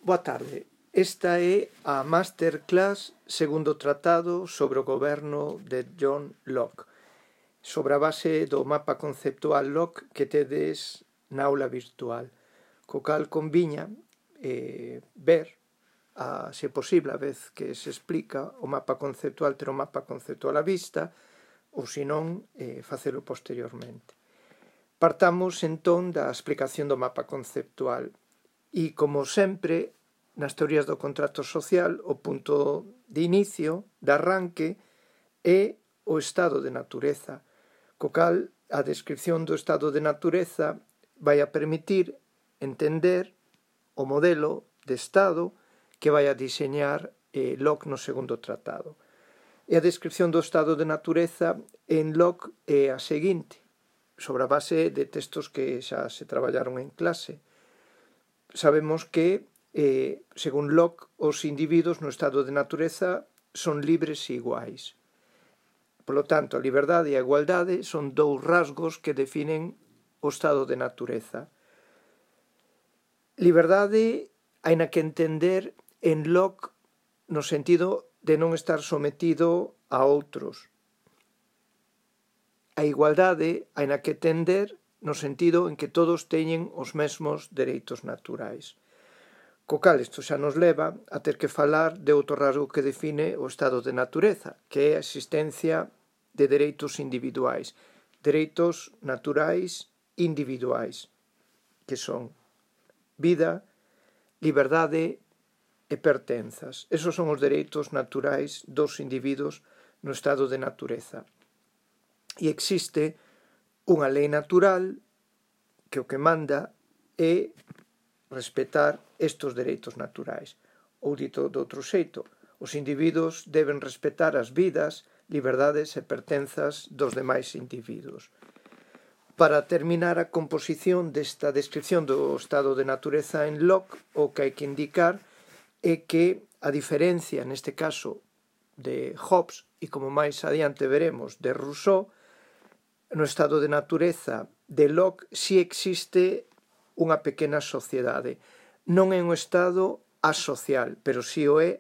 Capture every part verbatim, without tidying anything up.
Boa tarde. Esta é a Masterclass segundo tratado sobre o goberno de John Locke, sobre a base do mapa conceptual Locke que tedes na aula virtual, co cal conviña eh, ver, a, se posible, a vez que se explica o mapa conceptual, ter o mapa conceptual á vista, ou senón eh, facelo posteriormente. Partamos entón da explicación do mapa conceptual e, como sempre, nas teorías do contrato social, o punto de inicio, de arranque, é o estado de natureza, co cal a descripción do estado de natureza vai a permitir entender o modelo de estado que vai a diseñar eh, Locke no segundo tratado. E a descripción do estado de natureza en Locke é a seguinte, sobre a base de textos que xa se traballaron en clase. Sabemos que Eh, según Locke, os individuos no estado de natureza son libres e iguais. Por lo tanto, a liberdade e a igualdade son dous rasgos que definen o estado de natureza. Liberdade hai na que entender en Locke no sentido de non estar sometido a outros. A igualdade hai na que entender no sentido en que todos teñen os mesmos dereitos naturais. Co cal isto xa nos leva a ter que falar de outro rasgo que define o estado de natureza, que é a existencia de dereitos individuais, dereitos naturais individuais, que son vida, liberdade e pertenzas. Esos son os dereitos naturais dos individuos no estado de natureza. E existe unha lei natural que o que manda é respetar estes dereitos naturais. Ou dito de outro xeito, os individuos deben respetar as vidas, liberdades e pertenzas dos demais individuos. Para terminar a composición desta descripción do estado de natureza en Locke, o que hai que indicar é que a diferencia, neste caso, de Hobbes e como máis adiante veremos, de Rousseau, no estado de natureza de Locke si existe unha pequena sociedade. Non é un estado asocial, pero si o é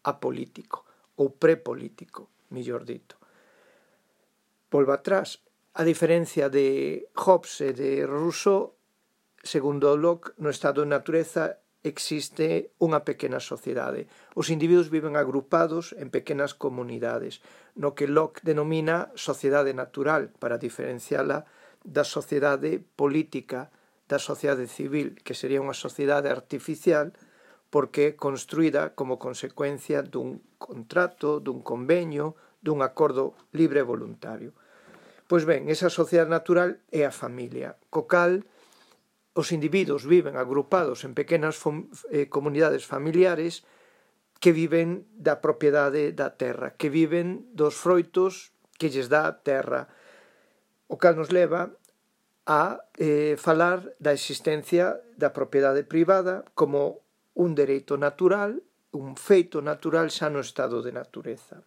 apolítico, ou prepolítico, mellor dito. Volvo atrás, a diferencia de Hobbes e de Rousseau, segundo Locke, no estado de natureza existe unha pequena sociedade. Os individuos viven agrupados en pequenas comunidades, no que Locke denomina sociedade natural, para diferenciala da sociedade política, da sociedade civil, que sería unha sociedade artificial porque é construída como consecuencia dun contrato, dun convenio, dun acordo libre e voluntario. Pois ben, esa sociedade natural é a familia, co cal os individuos viven agrupados en pequenas eh, comunidades familiares que viven da propiedade da terra, que viven dos froitos que lles dá a terra, o cal nos leva a eh, falar da existencia da propiedade privada como un dereito natural, un feito natural xa no estado de natureza.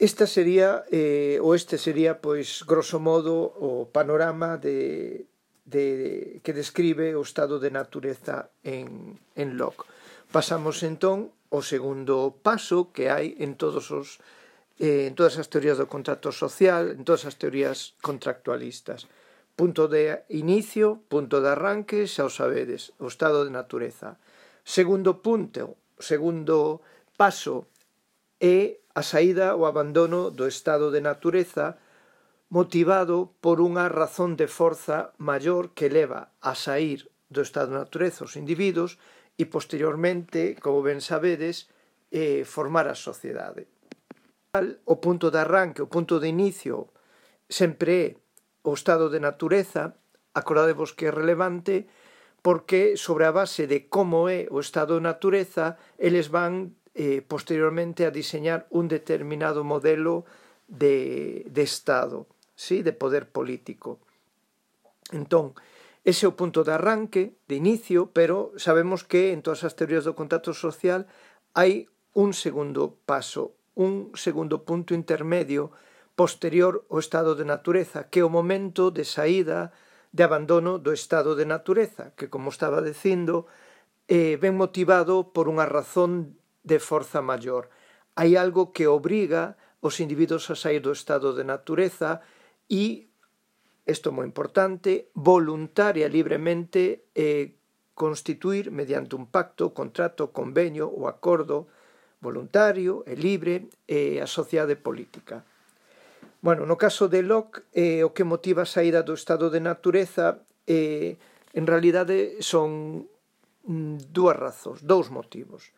Esta sería, eh, ou este sería, pois, grosso modo, o panorama de, de, que describe o estado de natureza en, en Locke. Pasamos, entón, ao segundo paso que hai en todos os en todas as teorías do contrato social, en todas as teorías contractualistas. Punto de inicio, punto de arranque, xa o sabedes, o estado de natureza. Segundo punto, segundo paso, é a saída ou abandono do estado de natureza motivado por unha razón de forza maior que leva a sair do estado de natureza os individuos e posteriormente, como ben sabedes, eh, formar a sociedade. O punto de arranque, o punto de inicio, sempre é o estado de natureza. Acordadevos que é relevante porque sobre a base de como é o estado de natureza, eles van eh, posteriormente a diseñar un determinado modelo de, de estado, ¿sí? De poder político. Entón, ese é o punto de arranque, de inicio, pero sabemos que en todas as teorías do contrato social hai un segundo paso, un segundo punto intermedio posterior ao estado de natureza, que é o momento de saída de abandono do estado de natureza, que, como estaba dicindo, eh, ben motivado por unha razón de forza maior. Hai algo que obriga os individuos a sair do estado de natureza e, isto é moi importante, voluntaria e libremente eh, constituir mediante un pacto, contrato, convenio ou acordo voluntario e libre eh, a sociedade política. Bueno, no caso de Locke, eh, o que motiva a saída do estado de natureza eh, en realidade son mm, dúas razóns, dous motivos.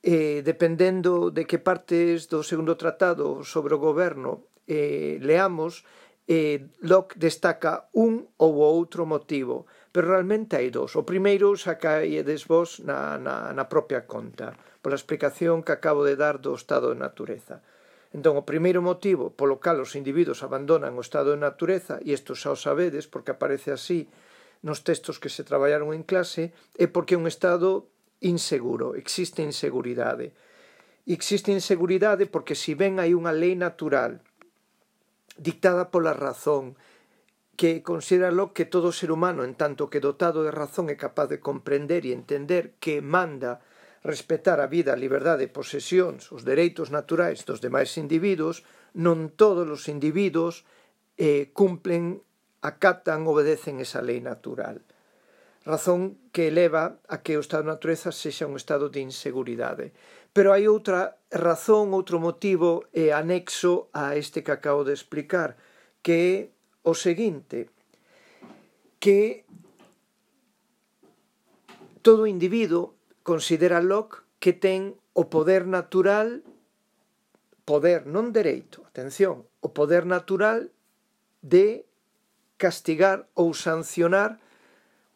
Eh, dependendo de que partes do segundo tratado sobre o goberno eh, leamos, eh, Locke destaca un ou outro motivo, pero realmente hai dous. O primeiro sacaedes vos na, na, na propia conta, pola explicación que acabo de dar do estado de natureza. Entón, o primeiro motivo polo cal os individuos abandonan o estado de natureza, e isto xa o sabedes porque aparece así nos textos que se traballaron en clase, é porque é un estado inseguro, existe inseguridade. E existe inseguridade porque se ben hai unha lei natural dictada pola razón que considera que todo ser humano, en tanto que dotado de razón, é capaz de comprender e entender que manda respetar a vida, a liberdade, posesións, os dereitos naturais dos demais individuos, non todos os individuos eh, cumplen, acatan, obedecen esa lei natural. Razón que eleva a que o estado de natureza sexa un estado de inseguridade. Pero hai outra razón, outro motivo eh, anexo a este que acabo de explicar, que é o seguinte, que todo individuo considera Locke que ten o poder natural, poder, non dereito, atención, o poder natural de castigar ou sancionar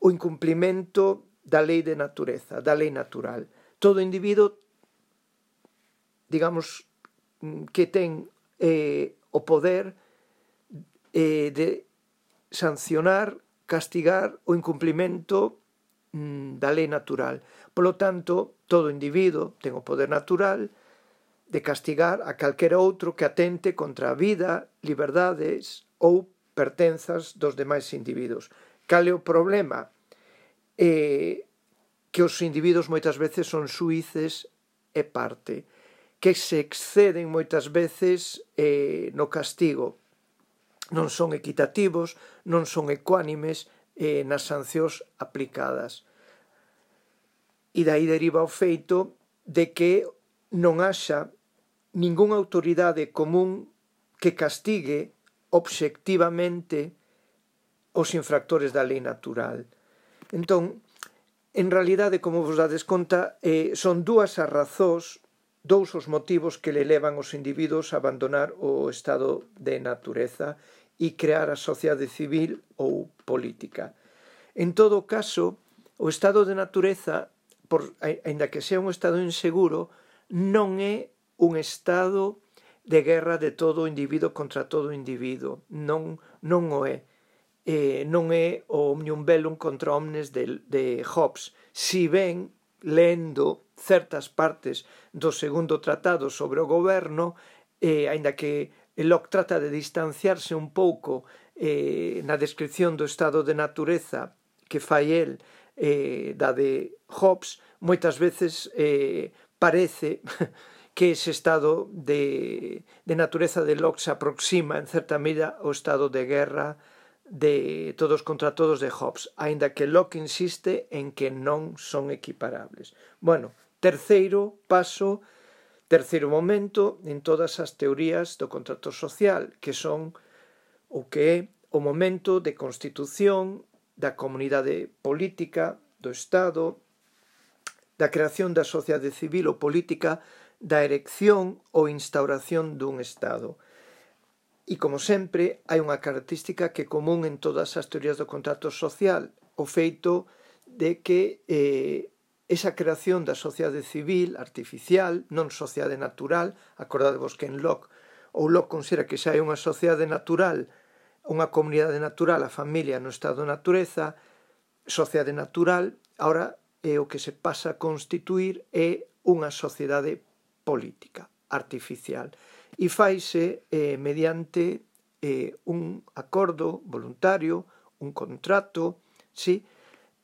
o incumplimento da lei de natureza, da lei natural. Todo individuo, digamos, que ten eh, o poder eh, de sancionar, castigar o incumplimento mm, da lei natural. Polo tanto, todo individuo ten o poder natural de castigar a calquera outro que atente contra a vida, liberdades ou pertenzas dos demais individuos. Cal é o problema? Eh, que os individuos moitas veces son xuíces e parte, que se exceden moitas veces eh, no castigo, non son equitativos, non son ecuánimes eh, nas sancións aplicadas. E dai deriva o feito de que non haxa ningunha autoridade común que castigue obxectivamente os infractores da lei natural. Entón, en realidade, como vos dades conta, eh, son dúas as razóns, dous os motivos que le levan os individuos a abandonar o estado de natureza e crear a sociedade civil ou política. En todo caso, o estado de natureza, por, ainda que sea un estado inseguro, non é un estado de guerra de todo individuo contra todo individuo. Non, non o é. Eh, non é o omnium bellum contra omnes de, de Hobbes. Si ben, lendo certas partes do segundo tratado sobre o goberno, eh, ainda que Locke trata de distanciarse un pouco eh, na descripción do estado de natureza que fai el eh, da de Hobbes, moitas veces eh, parece que ese estado de, de natureza de Locke se aproxima en certa medida ao estado de guerra de todos contra todos de Hobbes, aínda que Locke insiste en que non son equiparables. Bueno, terceiro paso, terceiro momento en todas as teorías do contrato social, que son o que é o momento de constitución da comunidade política, do Estado, da creación da sociedade civil ou política, da erección ou instauración dun Estado. E, como sempre, hai unha característica que é común en todas as teorías do contrato social, o feito de que eh, esa creación da sociedade civil artificial, non sociedade natural, acordadevos que en Locke, ou Locke considera que xa hai unha sociedade natural, unha comunidade natural, a familia no estado de natureza, sociedade natural, ahora eh, o que se pasa a constituir é unha sociedade política, artificial. E faise eh, mediante eh, un acordo voluntario un contrato, sí?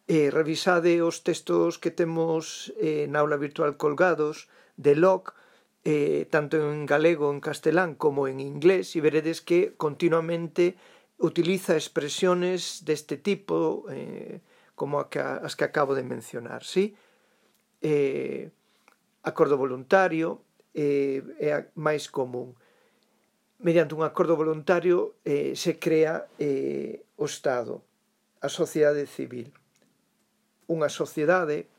Eh, revisade os textos que temos eh, na aula virtual colgados de Locke, eh, tanto en galego, en castelán, como en inglés, e veredes que continuamente utiliza expresiones deste tipo, eh, como a que, as que acabo de mencionar, sí? Eh, acordo voluntario eh, é a máis común. Mediante un acordo voluntario eh, se crea eh, o Estado, a sociedade civil. Unha sociedade,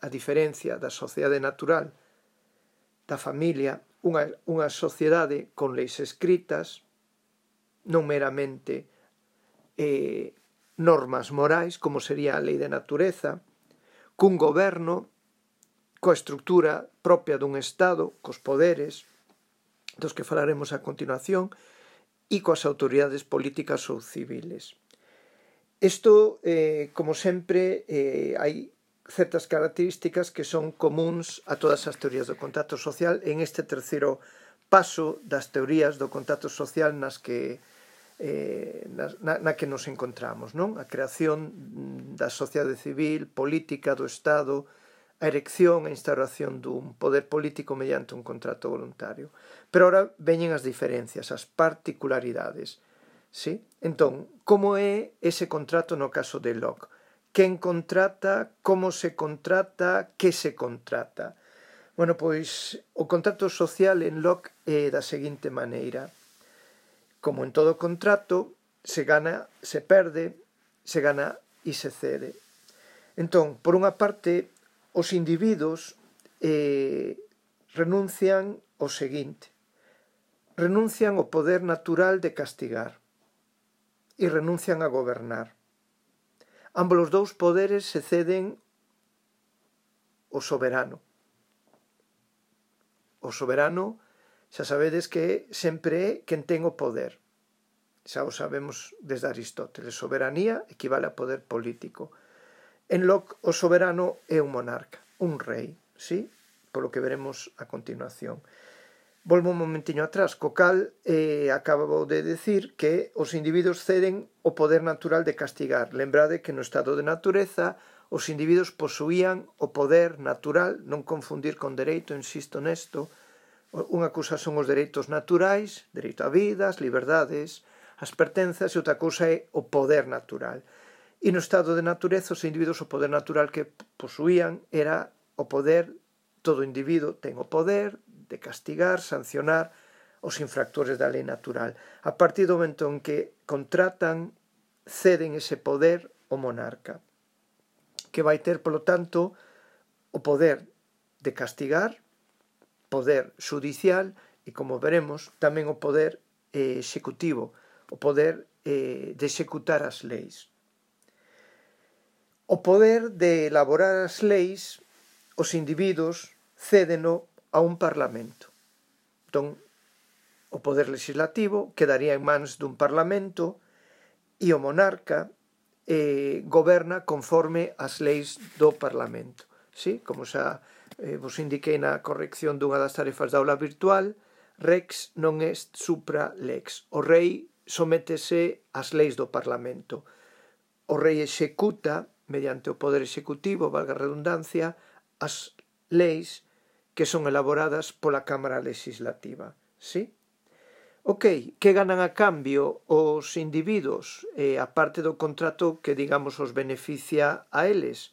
a diferencia da sociedade natural, da familia, unha, unha sociedade con leis escritas, non meramente eh, normas morais, como sería a lei de natureza, cun goberno, coa estructura propia dun Estado, cos poderes, dos que falaremos a continuación, e coas autoridades políticas ou civiles. Isto, eh, como sempre, eh, hai certas características que son comuns a todas as teorías do contacto social en este terceiro paso das teorías do contacto social nas que, eh, na, na que nos encontramos, non? A creación da sociedade civil, política, do Estado, a erección e instauración dun poder político mediante un contrato voluntario. Pero ahora veñen as diferencias, as particularidades. Sí? Entón, como é ese contrato no caso de Locke? Quen contrata, como se contrata, que se contrata? Bueno, pois o contrato social en Locke é da seguinte maneira. Como en todo contrato, se gana, se perde, se gana e se cede. Entón, por unha parte, os individuos eh, renuncian ao seguinte. Renuncian ao poder natural de castigar e renuncian a gobernar. Ambos os dous poderes se ceden ao soberano. O soberano, xa sabedes que sempre é quen ten o poder. Xa o sabemos desde Aristóteles. Soberanía equivale a poder político. En Locke, o soberano é un monarca, un rei, sí? Polo que veremos a continuación. Volvo un momentiño atrás, co cal eh, acabo de decir que os individuos ceden o poder natural de castigar. Lembrade que no estado de natureza os individuos posuían o poder natural, non confundir con dereito, insisto nesto. Unha cousa son os dereitos naturais, dereito a vida, as liberdades, as pertenzas, e outra cousa é o poder natural. E no estado de natureza os individuos o poder natural que posuían era o poder, todo individuo ten o poder de castigar, sancionar os infractores da lei natural. A partir do momento en que contratan, ceden ese poder ao monarca, que vai ter, polo tanto, o poder de castigar, poder xudicial e, como veremos, tamén o poder eh, executivo, o poder eh, de executar as leis. O poder de elaborar as leis, os individuos cédeno a un parlamento. Entón, o poder legislativo quedaría en mans dun parlamento e o monarca eh, goberna conforme as leis do parlamento. Sí? Como xa eh, vos indiquei na corrección dunha das tarefas da aula virtual, rex non est supra lex. O rei sométese ás leis do parlamento. O rei executa, mediante o poder executivo, valga a redundancia, as leis que son elaboradas pola Cámara Legislativa. Sí? Ok, que ganan a cambio os individuos, eh, a parte do contrato que, digamos, os beneficia a eles?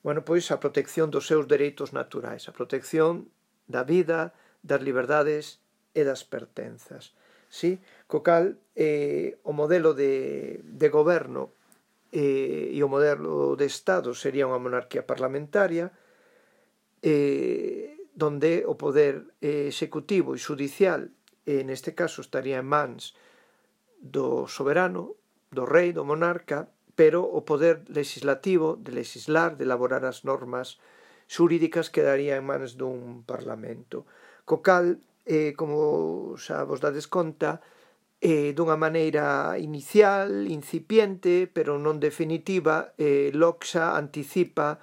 Bueno, pois a protección dos seus dereitos naturais, a protección da vida, das liberdades e das pertenzas. Sí? Co cal, eh, o modelo de, de goberno eh, e o modelo de Estado sería unha monarquía parlamentaria, eh, donde o poder eh, executivo e xudicial, eh, neste caso estaría en mans do soberano, do rei, do monarca, pero o poder legislativo, de legislar, de elaborar as normas xurídicas, quedaría en mans dun parlamento. Co cal, eh, como xa vos dades conta, eh, dunha maneira inicial, incipiente, pero non definitiva, eh, Locke xa anticipa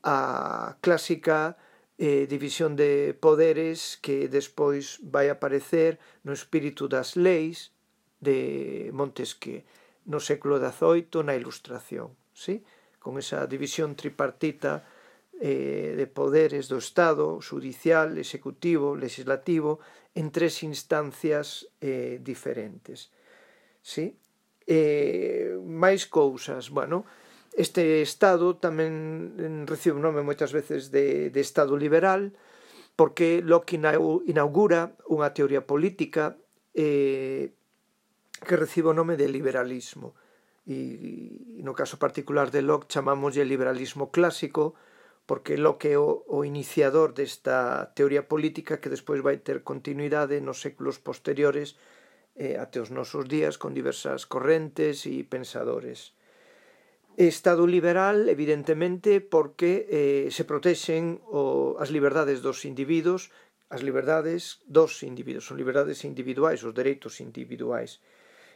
a clásica eh, división de poderes que despois vai aparecer no espírito das leis de Montesquieu. no século dezoito na Ilustración, ¿sí? Con esa división tripartita eh, de poderes do Estado, judicial, executivo, legislativo, en tres instancias eh, diferentes, ¿sí? Eh, máis cousas, bueno, este Estado tamén recibe o nome moitas veces de, de Estado liberal, porque Locke inaugura unha teoría política eh, que recibe o nome de liberalismo. E no caso particular de Locke chamámoslle liberalismo clásico, porque Locke é o, o iniciador desta teoría política que despois vai ter continuidade nos séculos posteriores eh, até os nosos días con diversas correntes e pensadores. Estado liberal, evidentemente, porque eh, se protexen o, as liberdades dos individuos, as liberdades dos individuos, son liberdades individuais, os dereitos individuais.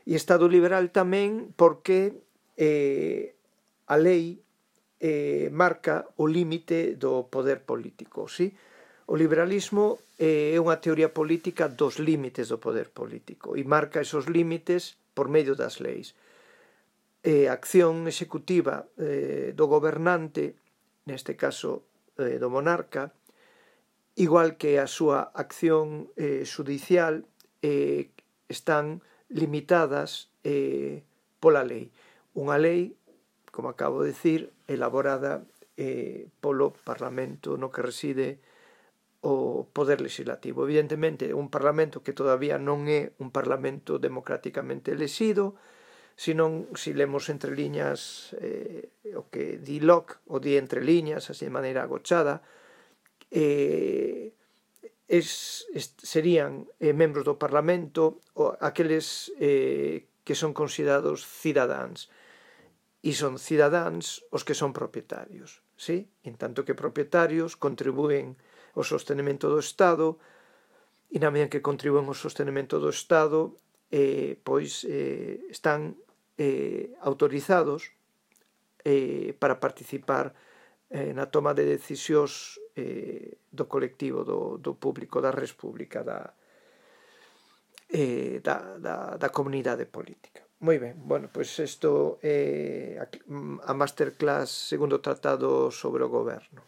E Estado liberal tamén porque eh, a lei eh, marca o límite do poder político, sí? O liberalismo eh, é unha teoría política dos límites do poder político e marca esos límites por medio das leis. Eh, a acción executiva eh, do gobernante, neste caso eh, do monarca, igual que a súa acción eh, judicial, eh, están limitadas eh, pola lei. Unha lei, como acabo de decir, elaborada eh, polo Parlamento no que reside o poder legislativo. Evidentemente, un Parlamento que todavía non é un Parlamento democráticamente elexido, senón, se lemos entre liñas eh, o que di Locke, o di entre liñas, así de maneira agochada, eh, es, es, serían eh, membros do Parlamento o aqueles eh, que son considerados cidadáns, e son cidadáns os que son propietarios, ¿sí? En tanto que propietarios contribúen ao sostenimento do Estado, e na medida que contribúen ao sostenimento do Estado, eh, pois eh, están eh, autorizados eh, para participar eh, na toma de decisións eh, do colectivo, do, do público, da res pública, da, eh, da, da, da comunidade política. Moi ben, bueno, pois isto é eh, a masterclass segundo tratado sobre o goberno.